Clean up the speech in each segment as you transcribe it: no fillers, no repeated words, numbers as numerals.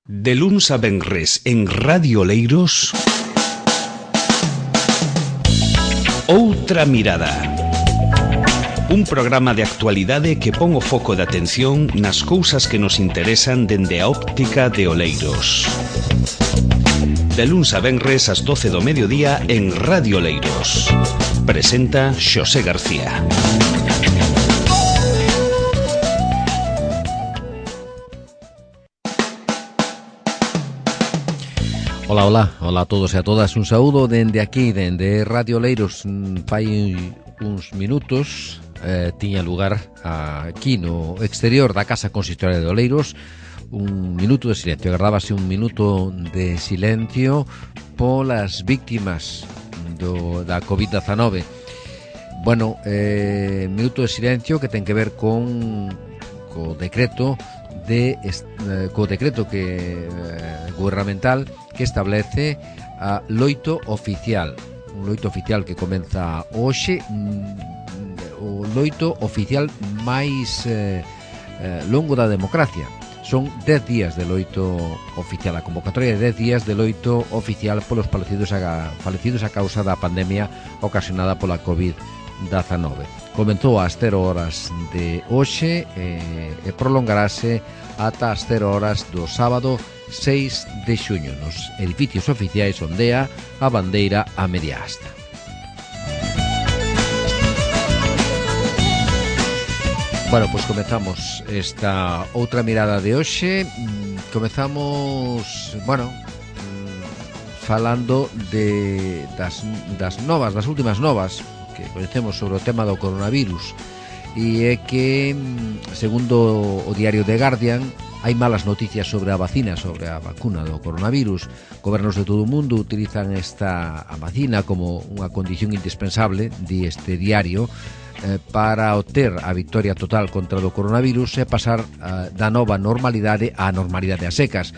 De luns a venres en Radio Oleiros, Outra Mirada. Un programa de actualidade que pon o foco de atención nas cousas que nos interesan dende a óptica de Oleiros. De luns a venres ás 12 do mediodía en Radio Oleiros. Presenta Xosé García. Hola a todos e a todas. Un saúdo dende aquí, dende Radio Oleiros. Fai uns minutos tiña lugar aquí no exterior da Casa Consistoria de Oleiros un minuto de silencio. Agardábase un minuto de silencio polas víctimas da COVID-19. Bueno, minuto de silencio que ten que ver co decreto gubernamental que establece a loito oficial, un loito oficial que comeza hoxe, o loito oficial máis longo da democracia. Son 10 días de loito oficial, a convocatoria de 10 días de loito oficial polos falecidos a causa da pandemia ocasionada pola COVID-19. Comenzou ás 0 horas de hoxe e prolongarase ata as 0 horas do sábado 6 de xuño. Nos edificios oficiais ondea a bandeira a media asta. Bueno, pois comezamos esta outra mirada de hoxe. Comezamos, falando das últimas novas que coñecemos sobre o tema do coronavirus, e é que, segundo o diario The Guardian, hai malas noticias sobre a vacina, sobre a vacuna do coronavirus. Gobernos de todo o mundo utilizan a vacina como unha condición indispensable, di este diario, para obter a victoria total contra o coronavirus e pasar da nova normalidade á normalidade a secas.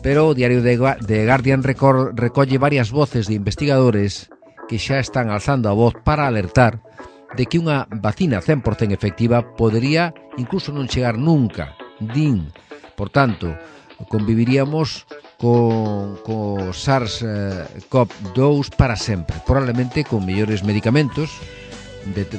Pero o diario The Guardian recolle varias voces de investigadores que xa están alzando a voz para alertar de que unha vacina 100% efectiva podería incluso non chegar nunca, din. Por tanto, conviviríamos co SARS-CoV-2 para sempre, probablemente con mellores medicamentos,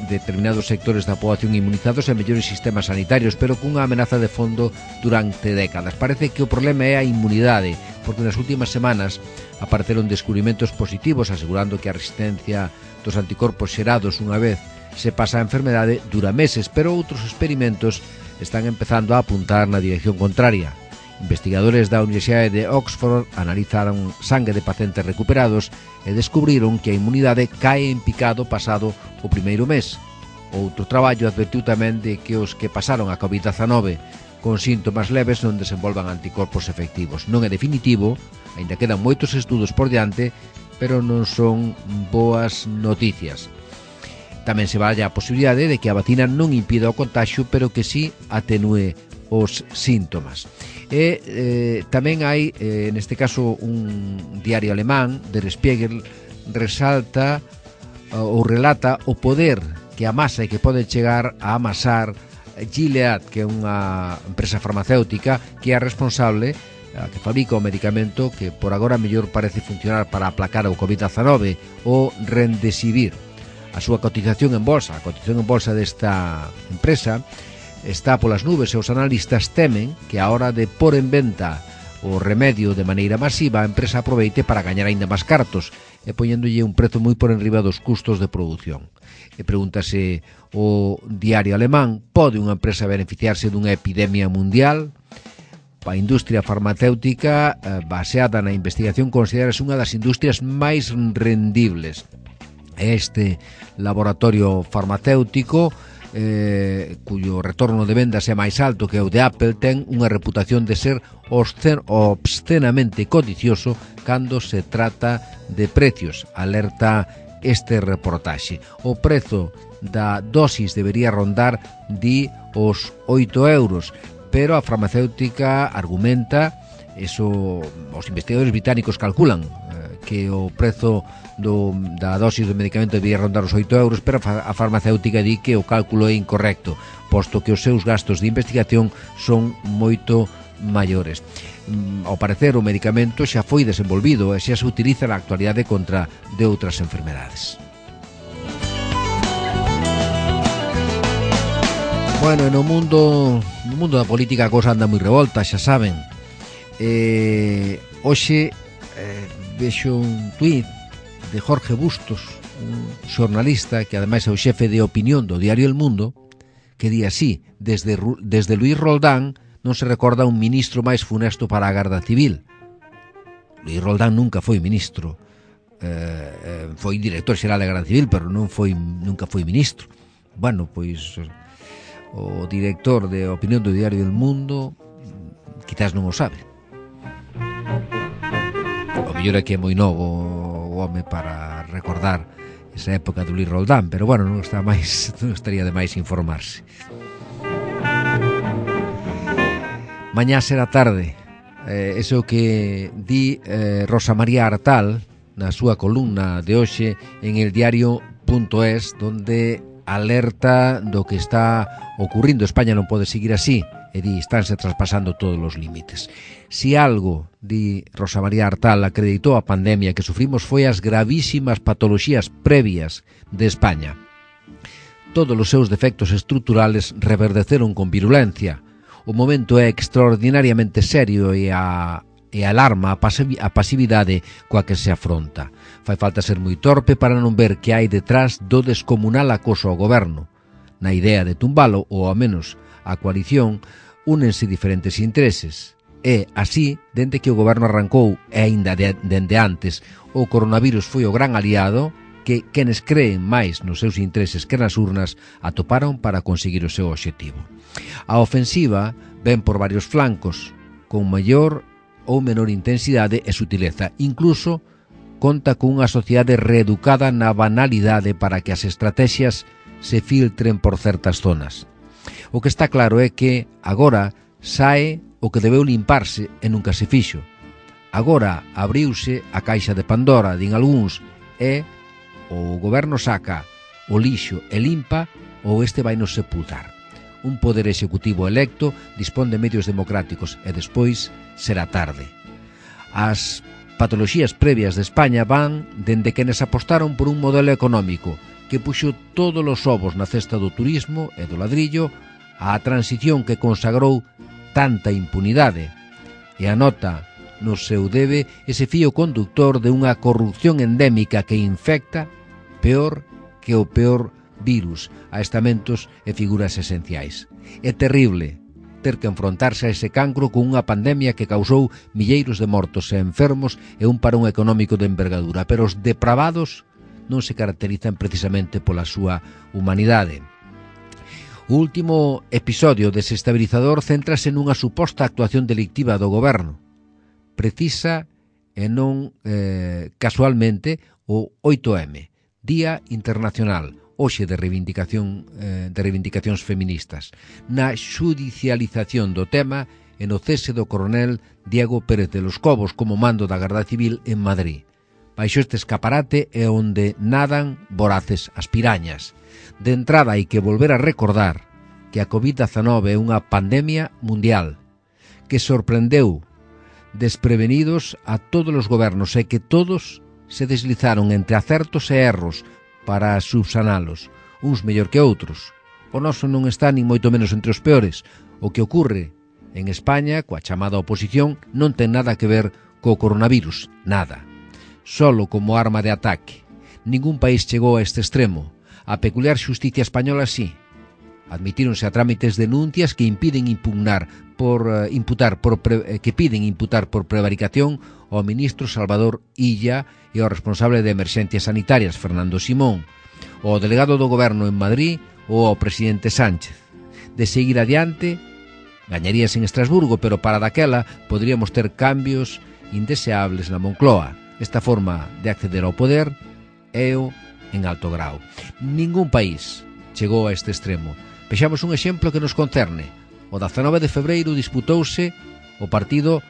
determinados sectores da poboación inmunizados e mellores sistemas sanitarios, pero cunha amenaza de fondo durante décadas. Parece que o problema é a inmunidade, porque nas últimas semanas apareceron descubrimentos positivos asegurando que a resistencia dos anticorpos xerados unha vez se pasa a enfermedade dura meses, pero outros experimentos están empezando a apuntar na dirección contraria. Investigadores da Universidade de Oxford analizaron sangue de pacientes recuperados e descubriron que a inmunidade cae en picado pasado o primeiro mes. Outro traballo advertiu tamén de que os que pasaron a COVID-19 con síntomas leves non desenvolvan anticorpos efectivos. Non é definitivo, aínda quedan moitos estudos por diante, pero non son boas noticias. Tamén se valla a posibilidade de que a vacina non impida o contagio, pero que sí atenúe os síntomas. E tamén hai, neste caso, un diario alemán, Der Spiegel, relata o poder que amasa e que pode chegar a amasar Gilead, que é unha empresa farmacéutica que é a responsable, que fabrica o medicamento que por agora mellor parece funcionar para aplacar o COVID-19, o Remdesivir. A súa cotización en bolsa, desta empresa está polas nubes e os analistas temen que a hora de pôr en venta o remedio de maneira masiva a empresa aproveite para gañar aínda máis cartos e poñéndolle un prezo moi por enriba dos custos de produción. E pregúntase o diario alemán: pode unha empresa beneficiarse dunha epidemia mundial? A industria farmacéutica baseada na investigación considerase unha das industrias máis rendibles. Este laboratorio farmacéutico, cuyo retorno de vendas é máis alto que o de Apple, ten unha reputación de ser obscenamente codicioso cando se trata de precios, alerta este reportaxe. O prezo da dosis debería rondar os 8 euros, pero a farmacéutica argumenta, os investigadores británicos calculan que o prezo da dosis do medicamento debería rondar os 8 euros, pero a farmacéutica di que o cálculo é incorrecto, posto que os seus gastos de investigación son moito maiores. Ao parecer, o medicamento xa foi desenvolvido e xa se utiliza na actualidade contra de outras enfermedades. Bueno, no mundo da política a cosa anda moi revolta, xa saben. Hoxe vexo un tuit de Jorge Bustos, un xornalista que ademais é o xefe de opinión do diario El Mundo, que di así: desde Luis Roldán non se recorda un ministro máis funesto para a Garda Civil. Luis Roldán nunca foi ministro, foi director xeral da Garda Civil, pero nunca foi ministro. Bueno, pois o director de opinión do diario El Mundo quizás non o sabe. O mellor é que é moi novo o home para recordar esa época do Luis Roldán, pero bueno, non estaría de máis informarse. Mañá será tarde, ese é o que di Rosa María Artal na súa columna de hoxe en el diario.es, donde alerta do que está ocurrindo. España non pode seguir así, e di, estánse traspasando todos os límites. Si algo, di Rosa María Artal, acreditou a pandemia que sufrimos foi as gravísimas patoloxías previas de España. Todos os seus defectos estruturales reverdeceron con virulencia. O momento é extraordinariamente serio e alarma a pasividade coa que se afronta. Fai falta ser moi torpe para non ver que hai detrás do descomunal acoso ao goberno. Na idea de tumbalo, ou ao menos a coalición, únense diferentes intereses. E, así, dende que o goberno arrancou, e aínda dende antes, o coronavirus foi o gran aliado que quenes creen máis nos seus intereses que nas urnas atoparon para conseguir o seu obxectivo. A ofensiva ven por varios flancos, con maior ou menor intensidade e sutileza. Incluso conta con unha sociedade reeducada na banalidade para que as estrategias se filtren por certas zonas. O que está claro é que agora sae o que debeu limparse e nunca se fixo. Agora abriuse a caixa de Pandora, din algúns, e o goberno saca o lixo e limpa, ou este vai nos sepultar. Un poder executivo electo dispón de medios democráticos e despois será tarde. As patoloxías previas de España van dende quenes apostaron por un modelo económico que puxo todos os ovos na cesta do turismo e do ladrillo, á transición que consagrou tanta impunidade e anota no seu debe ese fío conductor de unha corrupción endémica que infecta peor que o peor virus a estamentos e figuras esenciais. É terrible ter que enfrontarse a ese cancro con unha pandemia que causou milleiros de mortos e enfermos e un parón económico de envergadura, pero os depravados non se caracterizan precisamente pola súa humanidade. O último episodio desestabilizador céntrase nunha suposta actuación delictiva do goberno. Precisa e non casualmente o 8M, Día Internacional, hoxe de reivindicacións feministas, na xudicialización do tema e no cese do coronel Diego Pérez de los Cobos como mando da Garda Civil en Madrid. Baixo este escaparate é onde nadan voraces as pirañas. De entrada hai que volver a recordar que a COVID-19 é unha pandemia mundial que sorprendeu desprevenidos a todos os gobernos e que todos se deslizaron entre acertos e erros para subsanalos, uns mellor que outros. O noso non está nin moito menos entre os peores. O que ocorre en España coa chamada oposición non ten nada que ver co coronavirus, nada. Solo como arma de ataque. Ningún país chegou a este extremo. A peculiar xusticia española sí. Admitíronse a trámites denuncias que piden imputar por prevaricación ao ministro Salvador Illa e ao responsable de emerxencias sanitarias Fernando Simón, ao delegado do goberno en Madrid ou ao presidente Sánchez. De seguir adiante, gañaríase en Estrasburgo, pero para daquela poderíamos ter cambios indeseables na Moncloa. Esta forma de acceder ao poder é o en alto grau. Ningún país chegou a este extremo. Vexamos un exemplo que nos concerne. O 19 de febreiro disputouse o partido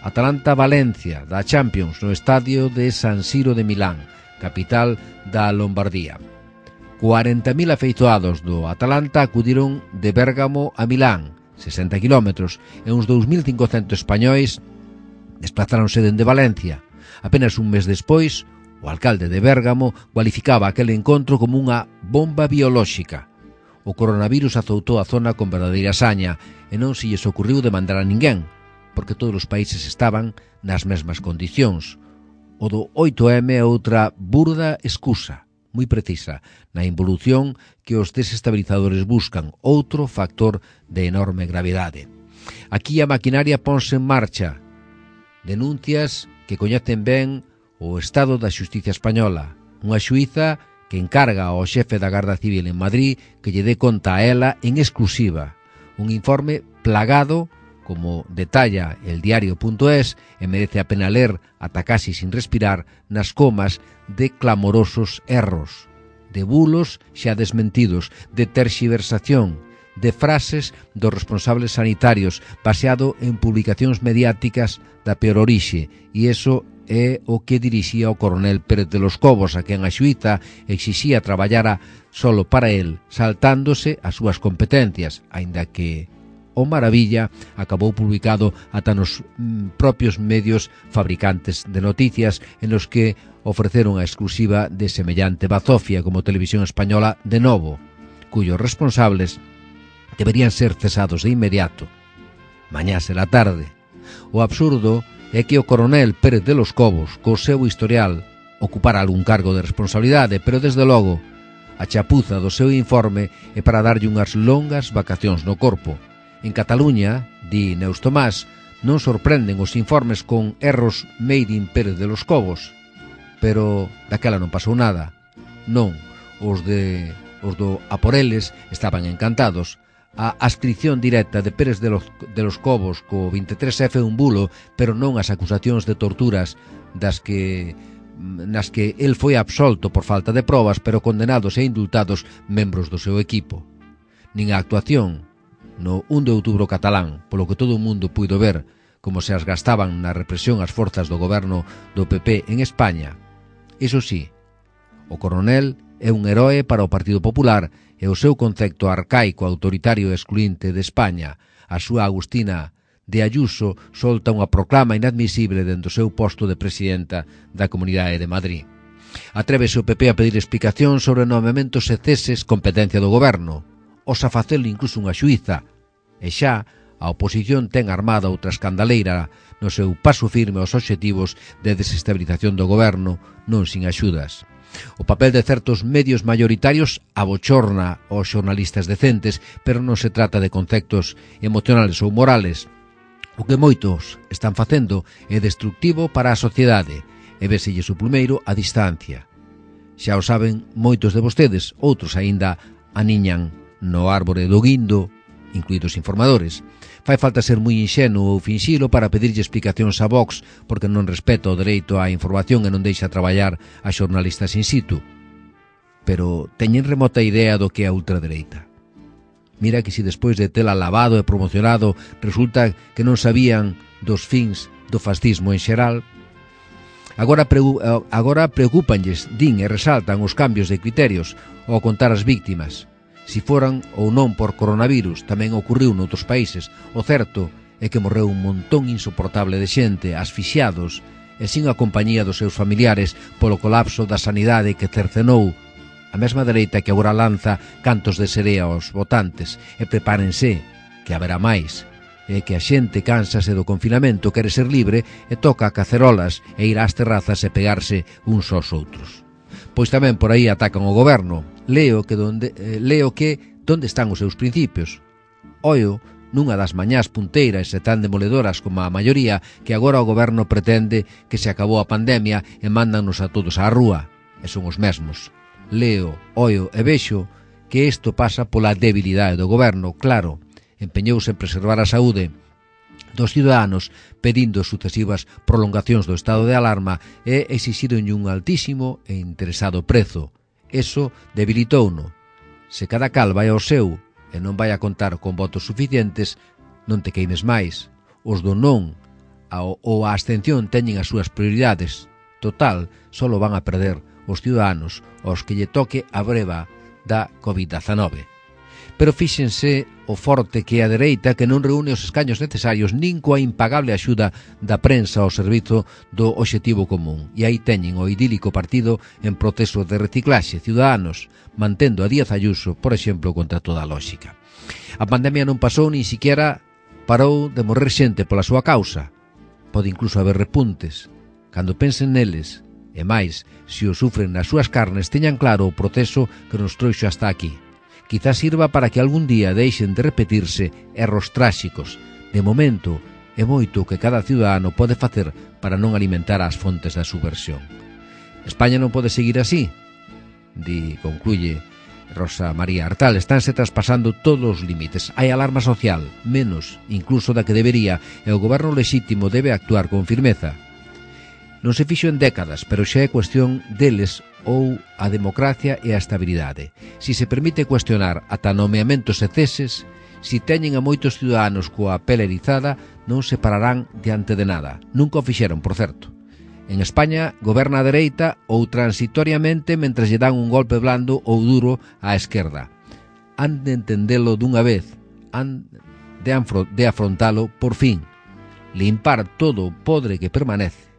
Atalanta-Valencia da Champions no estadio de San Siro de Milán, capital da Lombardía. 40.000 afeizoados do Atalanta acudiron de Bérgamo a Milán, 60 kilómetros, e uns 2.500 españois desplazáronse dende Valencia. Apenas un mes despois, o alcalde de Bérgamo cualificaba aquel encontro como unha bomba biolóxica. O coronavirus azoutou a zona con verdadeira saña e non se lles ocurriu demandar a ninguén, porque todos os países estaban nas mesmas condicións. O do 8M é outra burda excusa, moi precisa, na involución que os desestabilizadores buscan, outro factor de enorme gravidade. Aquí a maquinaria ponse en marcha. Denuncias que coñecen ben o estado da xustiza española, unha xuíza que encarga ao xefe da Garda Civil en Madrid que lle dé conta a ela en exclusiva. Un informe plagado, como detalla el diario.es, e merece a pena ler ata casi sin respirar, nas comas de clamorosos erros, de bulos xa desmentidos, de terxiversación, de frases dos responsables sanitarios baseado en publicacións mediáticas da peor orixe, e iso é o que dirixía o coronel Pérez de los Cobos, a quen a xuíza exixía traballara solo para el, saltándose as súas competencias, aínda que o Maravilla acabou publicado ata nos propios medios fabricantes de noticias en los que ofreceron a exclusiva de semellante bazofia como Televisión Española de Novo, cuyos responsables deberían ser cesados de inmediato. Mañá será tarde. O absurdo é que o coronel Pérez de los Cobos, co seu historial, ocupara algún cargo de responsabilidade, pero desde logo a chapuza do seu informe é para darlle unhas longas vacacións no corpo. En Cataluña, di Neus Tomás, non sorprenden os informes con erros made in Pérez de los Cobos, pero daquela non pasou nada. Non, os do a por eles estaban encantados. A ascripción directa de Pérez de los Cobos co 23F é un bulo, pero non as acusacións de torturas nas que el foi absolto por falta de probas, pero condenados e indultados membros do seu equipo. Nin a actuación no 1 de outubro catalán, polo que todo o mundo puido ver como se as gastaban na represión as forzas do goberno do PP en España. Iso sí, o coronel é un heroe para o Partido Popular e o seu concepto arcaico, autoritario e excluinte de España. A súa Agustina de Ayuso solta unha proclama inadmisible dentro do seu posto de presidenta da Comunidade de Madrid. Atrévese o PP a pedir explicación sobre nomeamentos e ceses competencia do goberno. Osa facelo incluso unha xuíza. E xa a oposición ten armada outra escandaleira no seu paso firme aos obxectivos de desestabilización do goberno, non sin axudas. O papel de certos medios mayoritarios abochorna aos xornalistas decentes, pero non se trata de conceptos emocionales ou morales. O que moitos están facendo é destructivo para a sociedade e véselles o plumeiro a distancia. Xa o saben moitos de vostedes, outros aínda aniñan no árbore do guindo, incluídos informadores. Fai falta ser moi inxenuo ou finxilo para pedirlle explicacións a Vox porque non respeta o dereito á información e non deixa traballar a xornalistas in situ. Pero teñen remota idea do que é a ultradereita. Mira que se despois de tela lavado e promocionado resulta que non sabían dos fins do fascismo en xeral. Agora preocúpanlles, din e resaltan os cambios de criterios ao contar as víctimas. Si foran ou non por coronavirus, tamén ocurriu noutros países. O certo é que morreu un montón insoportable de xente, asfixiados, e sin a compañía dos seus familiares polo colapso da sanidade que cercenou a mesma dereita que agora lanza cantos de serea aos votantes. E prepárense, que haberá máis. É que a xente cánsase do confinamento, quere ser libre e toca cacerolas e ir ás terrazas e pegarse uns aos outros. Pois tamén por aí atacan o goberno. Leo que donde están os seus principios. Oio nunha das mañás punteiras e tan demoledoras como a maioría que agora o goberno pretende que se acabou a pandemia e mándanos a todos á rúa. E son os mesmos. Leo, oio e vexo que isto pasa pola debilidade do goberno, claro. Empeñouse en preservar a saúde dos ciudadanos pedindo sucesivas prolongacións do estado de alarma e exixironlle un altísimo e interesado prezo. Eso debilitouno. Se cada cal vai ao seu e non vai a contar con votos suficientes, non te queimes máis. Os do non ou a abstención teñen as súas prioridades. Total, solo van a perder os ciudadanos aos que lle toque a breva da COVID-19. Pero fíxense o forte que é a dereita, que non reúne os escaños necesarios nin coa impagable axuda da prensa ao servizo do obxectivo común. E aí teñen o idílico partido en proceso de reciclaxe, Ciudadanos, mantendo a Díaz Ayuso, por exemplo, contra toda a lógica. A pandemia non pasou nin siquiera parou de morrer xente pola súa causa. Pode incluso haber repuntes. Cando pensen neles, e máis, se o sufren nas súas carnes, teñan claro o proceso que nos trouxo hasta aquí. Quizás sirva para que algún día deixen de repetirse erros tráxicos. De momento, é moito que cada ciudadano pode facer para non alimentar as fontes da subversión. España non pode seguir así, concluye Rosa María Artal. Estánse traspasando todos os límites. Hai alarma social, menos incluso da que debería, e o goberno lexítimo debe actuar con firmeza. Non se fixo en décadas, pero xa é cuestión deles ou a democracia e a estabilidade. Si se permite cuestionar ata nomeamentos e ceses, si teñen a moitos ciudadanos coa pele erizada, non se pararán diante de nada. Nunca o fixeron, por certo. En España goberna a dereita ou transitoriamente mentres lle dan un golpe blando ou duro á esquerda. Han de entendelo dunha vez, han de afrontalo por fin. Limpar todo o podre que permanece.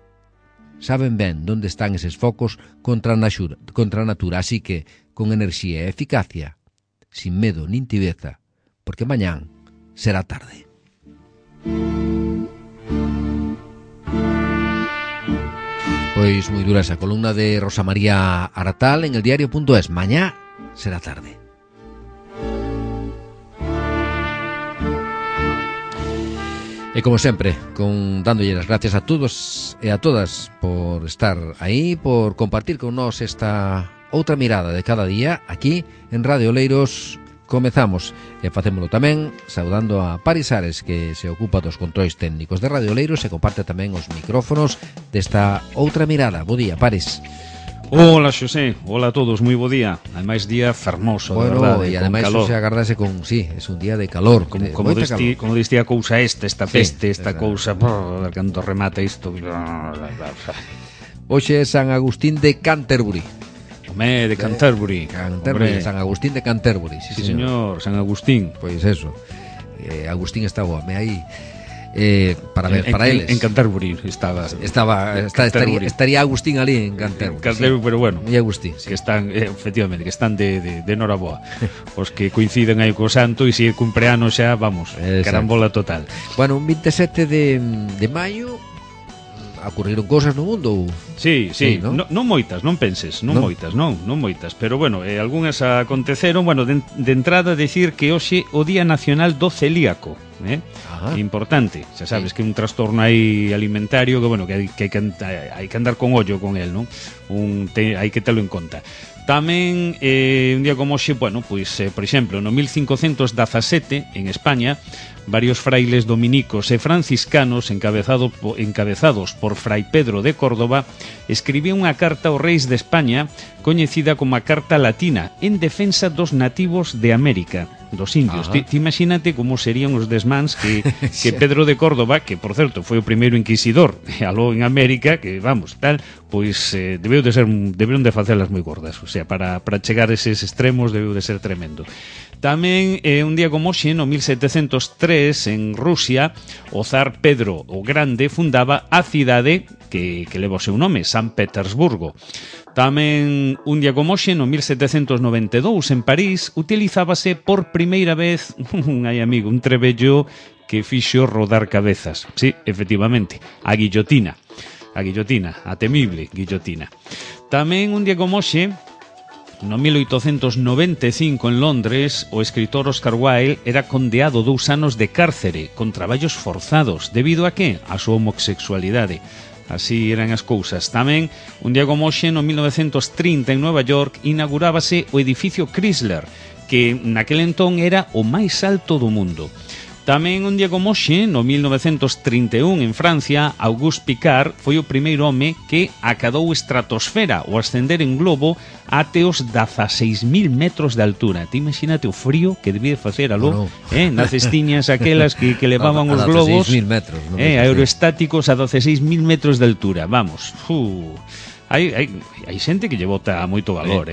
Saben ben onde están eses focos contra a natura, así que, con enerxía e eficacia, sin medo nin tibeza, porque mañán será tarde. Pois moi dura esa columna de Rosa María Artal en el diario.es. Mañá será tarde. E como sempre, dándolle as gracias a todos e a todas por estar aí, por compartir con nós esta outra mirada de cada día aquí en Radio Oleiros. Comezamos e facémolo tamén saudando a Paris Ares, que se ocupa dos controis técnicos de Radio Oleiros e comparte tamén os micrófonos desta outra mirada. Bo día, Paris. Hola, Xosé, hola a todos, moi bo día. Ademais, día fermoso, bueno, de verdade, e ademais se agardase con, sí, é un día de calor. Como diste a cousa esta peste, esta cousa, cando remata isto. Hoxe é San Agustín de Canterbury. Home, de Canterbury. San Agustín de Canterbury, sí, señor, San Agustín. Pois eso, Agustín está boame aí. Para eles en Canterbury estaría Agustín ali en Canterbury, sí. Pero bueno, e Agustín, sí. Que están, efectivamente, que están de noraboa. Os que coinciden aí co santo, e se é cumpleanos xa, vamos, carambola total. Bueno, un 27 de maio ocurriron cosas no mundo. Sí, ¿no? Non moitas, non penses, non moitas, pero bueno, algunhas aconteceron. Bueno, de entrada decir que hoxe o Día Nacional do Celíaco, importante, xa sabes, que é un trastorno aí alimentario que, bueno, que hai que andar con ollo con el, non? Hai que telo en conta. Tamén, un día como hoxe, bueno, pois, por exemplo, no 1517, en España, varios frailes dominicos e franciscanos encabezados por Fray Pedro de Córdoba escribían unha carta aos reis de España coñecida como a Carta Latina en defensa dos nativos de América, dos indios. Ti imagínate como serían os desmáns que Pedro de Córdoba, que por certo foi o primeiro inquisidor aló en América, que vamos, tal, pois deberon de facelas moi gordas, o sea, para chegar a eses extremos debeu de ser tremendo. Tamén, un día como hoxe, no 1703, en Rusia, o zar Pedro o Grande fundaba a cidade que leva o seu nome, San Petersburgo. Tamén, un día como hoxe, no 1792, en París, utilizábase por primeira vez un trebello que fixo rodar cabezas. Sí, efectivamente, a guillotina, a temible guillotina. Tamén, un día como hoxe, no 1895 en Londres, o escritor Oscar Wilde era condeado 2 anos de cárcere con traballos forzados. Debido a que? A súa homosexualidade. Así eran as cousas. Tamén, un día como hoxe, no 1930 en Nova York, inaugurábase o edificio Chrysler, que naquel entón era o máis alto do mundo. Tamén un día como hoxe, no 1931 en Francia, Auguste Piccard foi o primeiro home que acadou estratosfera, o ascender en globo até os 16.000 metros de altura. Te imagínate o frío que debía facer aló, nas cestiñas aquelas que levaban os globos, 16.000 metros, aeroestáticos a 16.000 metros de altura, vamos. Hai xente que lle bota moito valor,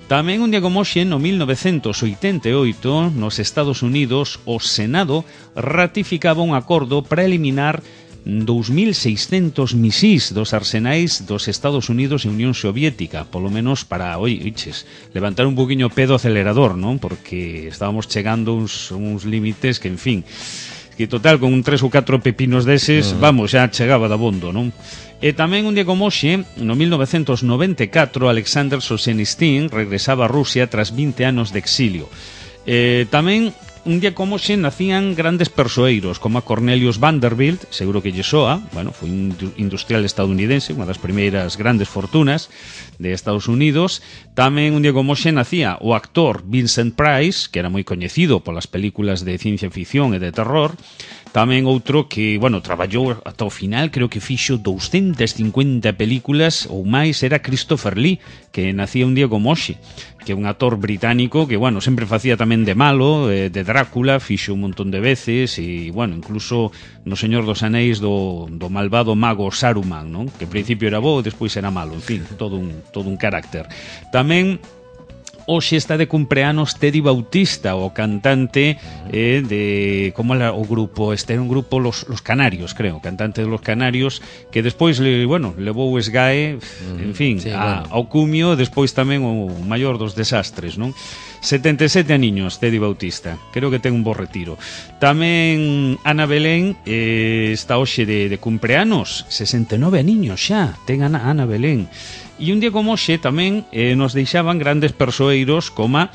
Tamén un día como hoxe, no 1988, nos Estados Unidos, o Senado ratificaba un acordo para eliminar 2.600 misís dos arsenais dos Estados Unidos e Unión Soviética, polo menos para, levantar un poquinho o pé do acelerador, non? Porque estábamos chegando uns límites que, en fin, que total, con 3 ou 4 pepinos deses, vamos, xa chegaba da bondo, non? E tamén un día como hoxe, no 1994, Alexander Solzhenitsyn regresaba a Rusia tras 20 anos de exilio. Tamén un día como hoxe nacían grandes persoeiros como a Cornelius Vanderbilt, seguro que lle soa, bueno, foi un industrial estadounidense, unha das primeiras grandes fortunas de Estados Unidos. Tamén un día como hoxe nacía o actor Vincent Price, que era moi coñecido polas películas de ciencia ficción e de terror. Tamén outro que, bueno, traballou ata o final, creo que fixo 250 películas ou máis, era Christopher Lee, que nacía un día como hoxe, que é un actor británico que, bueno, sempre facía tamén de malo, de Drácula, fixo un montón de veces, e, bueno, incluso no Señor dos Anéis do malvado mago Saruman, non? Que en principio era bo e despois era malo, en fin, todo un carácter. Tamén hoxe está de cumpleanos Teddy Bautista, o cantante de... Como era o grupo? Este era un grupo, Los Canarios, creo, cantante de Los Canarios, que despois, levou o esgae, en fin, sí, ao cumio, despois tamén o maior dos desastres, non? 77 aniños, Teddy Bautista, creo que ten un bo retiro. Tamén Ana Belén está hoxe de cumpleanos, 69 aniños xa, ten Ana Belén. E un día como hoxe tamén nos deixaban grandes persoeiros como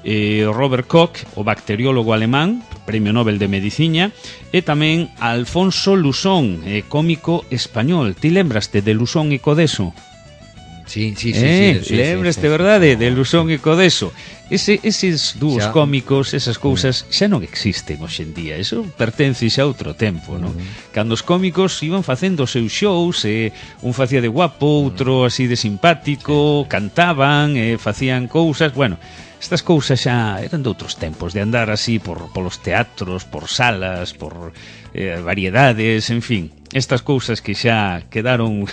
Robert Koch, o bacteriólogo alemán, Premio Nobel de Medicina, e tamén Alfonso Lusón, cómico español. Ti lembraste de Lusón e Codeso? Sí, lembraste, verdade, de Lusón e Codeso. Eses dúos cómicos, esas cousas xa non existen hoxe en día. Eso pertence xa a outro tempo, non? Cando os cómicos iban facendo os seus shows, un facía de guapo, outro así de simpático, cantaban, facían cousas, bueno, estas cousas xa eran de outros tempos, de andar así polos teatros, por salas, por variedades, en fin, estas cousas que xa quedaron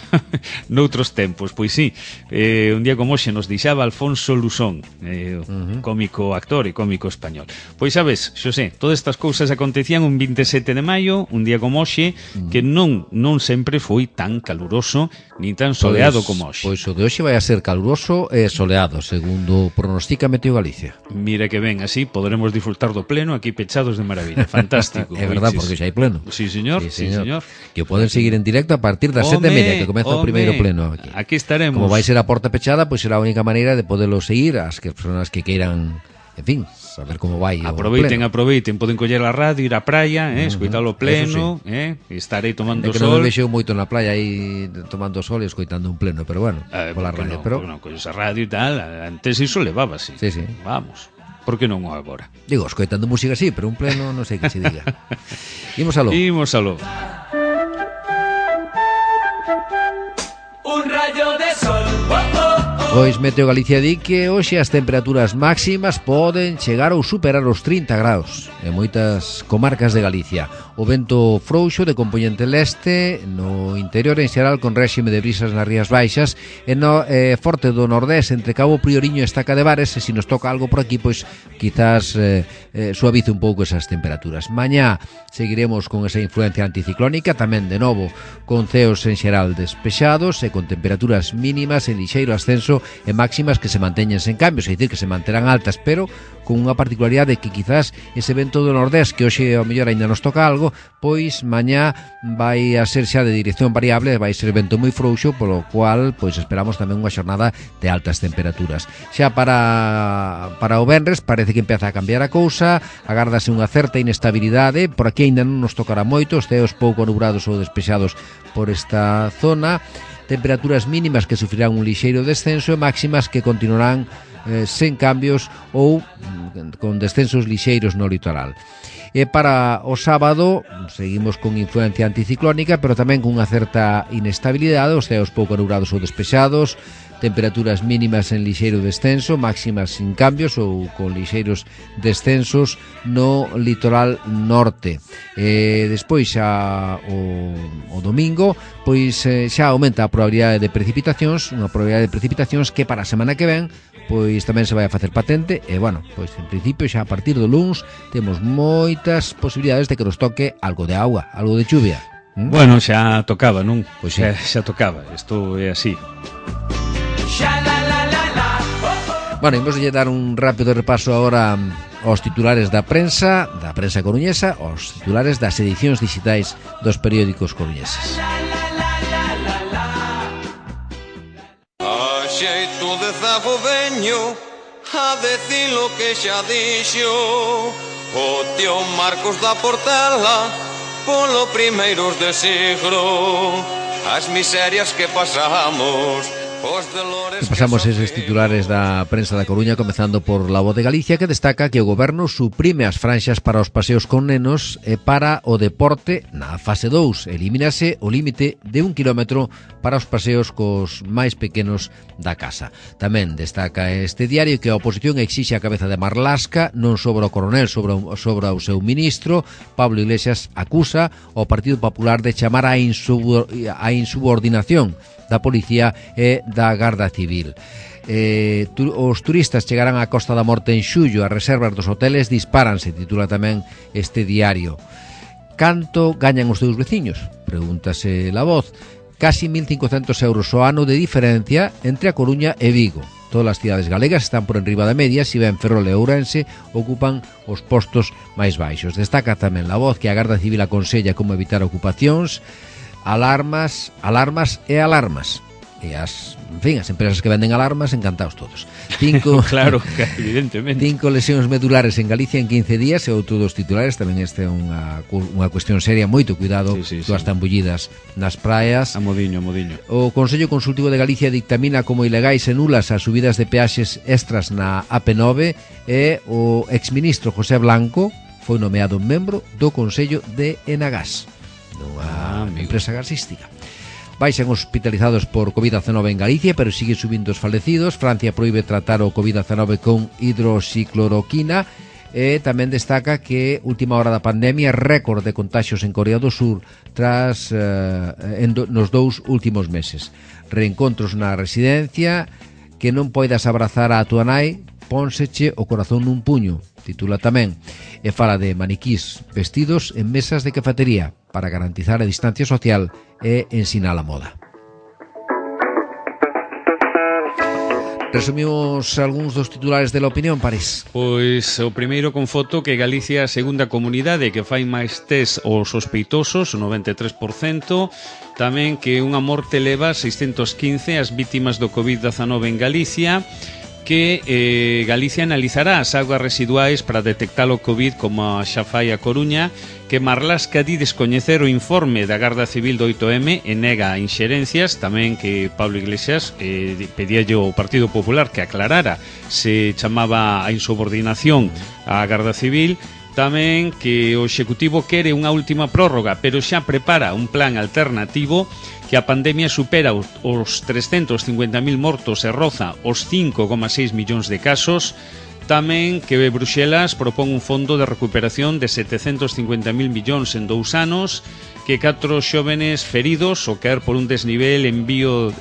noutros tempos. Pois sí, un día como hoxe nos deixaba Alfonso Lusón, cómico actor e cómico español. Pois sabes, Xosé, todas estas cousas acontecían un 27 de maio, un día como hoxe, que non sempre foi tan caluroso ni tan soleado como hoxe. Pois o de hoxe vai a ser caluroso e soleado, segundo pronostica Meteo Galicia. Mira que ben, así poderemos disfrutar do pleno aquí pechados de maravilla. Fantástico. É verdad, porque xa hai pleno. Sí, señor. Que poden seguir en directo a partir das 7:30, que comeza o primeiro pleno aquí. Aquí estaremos. Como vai ser a porta pechada, pois será a única maneira de poderlo seguir as persoas que queiran, en fin, saber como vai. Aproveiten, poden coller a radio, ir á praia, escoitalo pleno, estarei tomando que sol. Non me vexeu moito na playa aí tomando sol e escoitando un pleno, pero bueno, pola radio, pero colles a radio e tal, antes iso levábase. Sí. Vamos. Por que non o agora? Digo, escoitando música sí, pero un pleno non sei que se diga. Imos aló. Un rayo de sol. Pois Meteo Galicia di que hoxe as temperaturas máximas poden chegar ou superar os 30 graus en moitas comarcas de Galicia. O vento frouxo de compoñente leste no interior en xeral con réxime de brisas nas Rías Baixas e no forte do nordés entre Cabo Prioriño e Estaca de Bares, e se nos toca algo por aquí, pois quizás suavice un pouco esas temperaturas. Mañá seguiremos con esa influencia anticiclónica, tamén de novo con ceos en xeral despexados e con temperaturas mínimas en lixeiro ascenso e máximas que se manteñen sen cambios, é dicir, que se manterán altas, pero con unha particularidade que quizás ese vento do nordés, que hoxe ao mellor aínda nos toca algo, pois mañá vai a ser xa de dirección variable, vai ser vento moi frouxo, polo cual pois esperamos tamén unha xornada de altas temperaturas. Xa para o venres parece que empeza a cambiar a cousa, agárdase unha certa inestabilidade, por aquí aínda non nos tocará moito, os ceos pouco nubrados ou despexados por esta zona, temperaturas mínimas que sufrirán un lixeiro descenso e máximas que continuarán sen cambios ou con descensos lixeiros no litoral. E para o sábado seguimos con influencia anticiclónica, pero tamén con unha certa inestabilidade, os ceos pouco nubrados ou despexados, temperaturas mínimas en lixeiro descenso, máximas sin cambios ou con lixeiros descensos no litoral norte. Despois xa o domingo, pois xa aumenta a probabilidade de precipitacións, unha probabilidade de precipitacións que para a semana que ven pois tamén se vai a facer patente e, bueno, pois en principio xa a partir do luns temos moitas posibilidades de que nos toque algo de auga, algo de chuvia. Bueno, xa tocaba, non? Pois sí. Xa tocaba, isto é así. Bueno, imos lle dar un rápido repaso agora aos titulares da prensa coruñesa, aos titulares das edicións digitais dos periódicos coruñeses. A xeito de zago veño a decir lo que xa dixo o tío Marcos da Portela polo primeiros de siglo as miserias que pasamos. Pasamos eses titulares da prensa da Coruña, comezando por La Voz de Galicia, que destaca que o goberno suprime as franxas para os paseos con nenos e para o deporte na fase 2. Elimínase o límite de 1 kilómetro para os paseos cos máis pequenos da casa. Tamén destaca este diario que a oposición exixe a cabeza de Marlaska, non sobre o coronel, sobre o seu ministro. Pablo Iglesias acusa ao Partido Popular de chamar a insubordinación da Policía e da Garda Civil. Os turistas chegarán á Costa da Morte en xullo, as reservas dos hoteles disparanse, titula tamén este diario. Canto gañan os teus veciños? Pregúntase La Voz. Casi 1.500 euros ao ano de diferencia entre a Coruña e Vigo. Todas as cidades galegas están por enriba da media, si ben Ferrol e Ourense ocupan os postos máis baixos. Destaca tamén La Voz que a Garda Civil aconsella como evitar ocupacións, alarmas e alarmas. E as empresas que venden alarmas, encantados todos. Claro, evidentemente. 5 lesións medulares en Galicia en 15 días e outro dos titulares. Tamén este é unha cuestión seria, moito cuidado, todas están bullidas nas praias. A modiño. O Consello Consultivo de Galicia dictamina como ilegais e nulas as subidas de peaxes extras na AP9 e o exministro José Blanco foi nomeado membro do Consello de Enagás, nunha empresa gasística. Baixan hospitalizados por COVID-19 en Galicia, pero sigue subindo os falecidos. Francia proíbe tratar o COVID-19 con hidroxicloroquina. E tamén destaca que última hora da pandemia, récord de contaxios en Corea do Sur tras nos 2 últimos meses. Reencontros na residencia, que non poidas abrazar a tua nai, pónseche o corazón nun puño, titula tamén. E fala de maniquís vestidos en mesas de cafetería para garantizar a distancia social e ensinar a moda. Resumimos algúns dos titulares de La Opinión, París. Pois o primeiro con foto que Galicia é a segunda comunidade que fai máis test aos sospeitosos, o 93%. Tamén que unha morte leva 615 as vítimas do COVID-19 en Galicia, que Galicia analizará as augas residuais para detectar o COVID como xa fai a Coruña, que Marlaska di descoñecer o informe da Garda Civil do 8M e nega inxerencias. Tamén que Pablo Iglesias pedíalle ao Partido Popular que aclarara se chamaba a insubordinación á Garda Civil. Tamén que o Executivo quere unha última prórroga, pero xa prepara un plan alternativo, que a pandemia supera os 350.000 mortos e roza os 5,6 millóns de casos. Tamén que Bruxelas propón un fondo de recuperación de 750.000 millóns en 2 anos, que 4 xóvenes feridos ao caer por un desnivel en Vío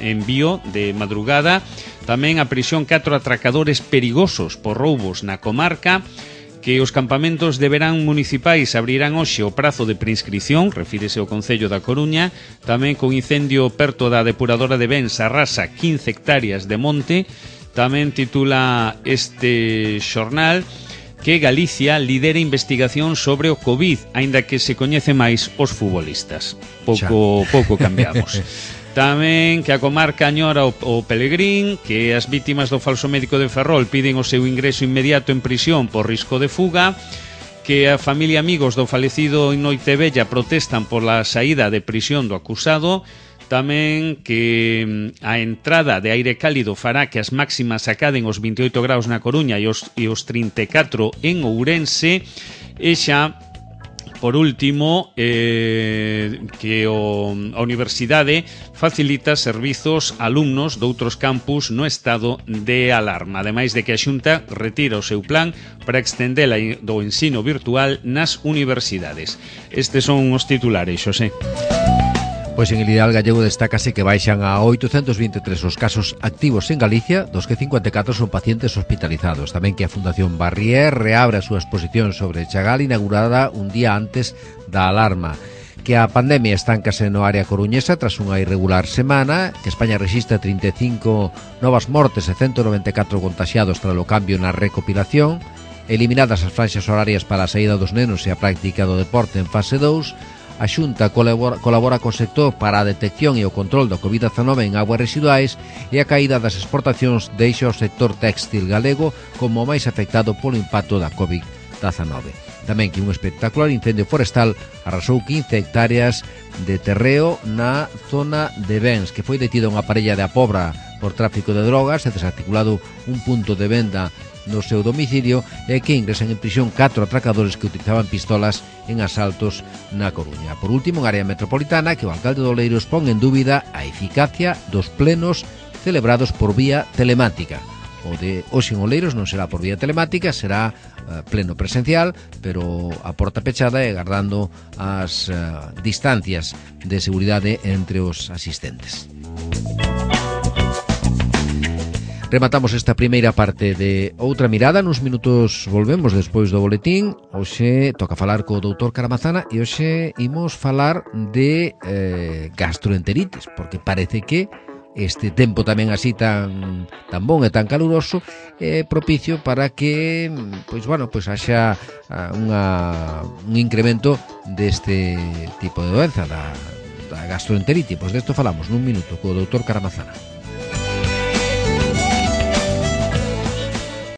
de madrugada. Tamén a prisión 4 atracadores perigosos por roubos na comarca, que os campamentos de verán municipais abrirán hoxe o prazo de prescripción, refírese ao Concello da Coruña. Tamén con incendio perto da depuradora de Bens arrasa 15 hectáreas de monte. Tamén titula este xornal que Galicia lidera investigación sobre o COVID, aínda que se coñece máis os futbolistas. Pouco cambiamos. Tamén que a comarca añora o Pelegrín, que as vítimas do falso médico de Ferrol piden o seu ingreso inmediato en prisión por risco de fuga, que a familia e amigos do falecido en Noitevella protestan por la saída de prisión do acusado. Tamén que a entrada de aire cálido fará que as máximas acaden os 28 graus na Coruña e os 34 en Ourense. E xa, por último, que a universidade facilita servizos a alumnos de outros campus no estado de alarma, ademais de que a Xunta retira o seu plan para extender do ensino virtual nas universidades. Estes son os titulares, Xosé. Pois en Ideal Gallego destácase que baixan a 823 os casos activos en Galicia, dos que 54 son pacientes hospitalizados. Tamén que a Fundación Barrier reabre a súa exposición sobre Chagal inaugurada un día antes da alarma. Que a pandemia estáncase no área coruñesa tras unha irregular semana, que España rexistra 35 novas mortes e 194 contaxiados tras o cambio na recopilación, eliminadas as franxas horarias para a saída dos nenos e a práctica do deporte en fase 2, a Xunta colabora co sector para a detección e o control da COVID-19 en aguas residuais e a caída das exportacións deixa o sector téxtil galego como o máis afectado polo impacto da COVID-19. Tamén que un espectacular incendio forestal arrasou 15 hectáreas de terreo na zona de Bens, que foi detida unha parella de A Pobra por tráfico de drogas e desarticulado un punto de venda no seu domicilio e que ingresan en prisión 4 atracadores que utilizaban pistolas en asaltos na Coruña. Por último, en área metropolitana, que o alcalde de Oleiros pon en dúbida a eficacia dos plenos celebrados por vía telemática. O de hoxe en Oleiros non será por vía telemática, será pleno presencial, pero a porta pechada e guardando as distancias de seguridade entre os asistentes. Rematamos esta primeira parte de Outra Mirada. Nuns minutos volvemos despois do boletín. Hoxe toca falar co doutor Caramazana e hoxe imos falar de gastroenteritis, porque parece que este tempo tamén así tan bon e tan caluroso é propicio para que haxa un incremento deste tipo de doenza da gastroenteritis. Pois desto falamos nun minuto co doutor Caramazana.